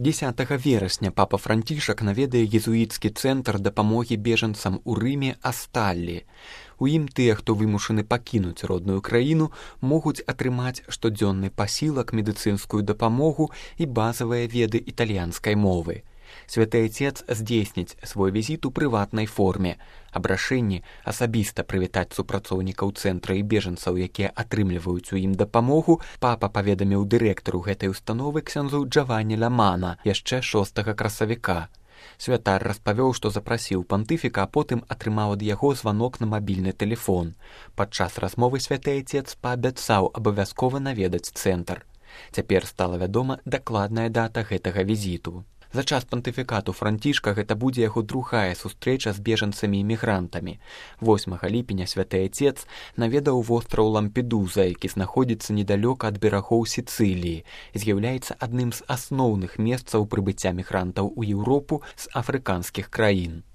10 верасня папа Францішак наведае езуіцкі цэнтр дапамогі бежанцам у Рыме Асталлі. У ім тыя, хто вымушаны пакінуць родную краіну, могуць атрымаць штодзённы пасілак, медыцынскую дапамогу і базавыя веды італьянскай мовы. Святы Отец здзейсніць свой візіт у прыватнай форме. Аб рашэнні асабіста прывітаць супрацоўнікаў цэнтра і бежанцаў, якія атрымліваюць у ім дапамогу, папа паведаміў дырэктару гэтай установы ксяндзу Джаванні Ламана яшчэ 6 красавіка. Святар распавёў, што запрасіў пантыфіка, а потым атрымаў ад яго званок на мабільны тэлефон. Падчас размовы святы Отец паабяцаў абавязкова наведаць цэнтр. Цяпер стала вядома дакладная дата гэтага візіту. За час пантыфікату Францішка гэта будзе яго другая сустрэча з бежанцамі і мігрантамі. 8 ліпеня святы Отец наведаў востраў Лампедуза, які знаходзіцца недалёка ад берагоў Сіцыліі і з'яўляецца адным з асноўных месцаў прыбыцця мігрантаў у Еўропу з афрыканскіх краін.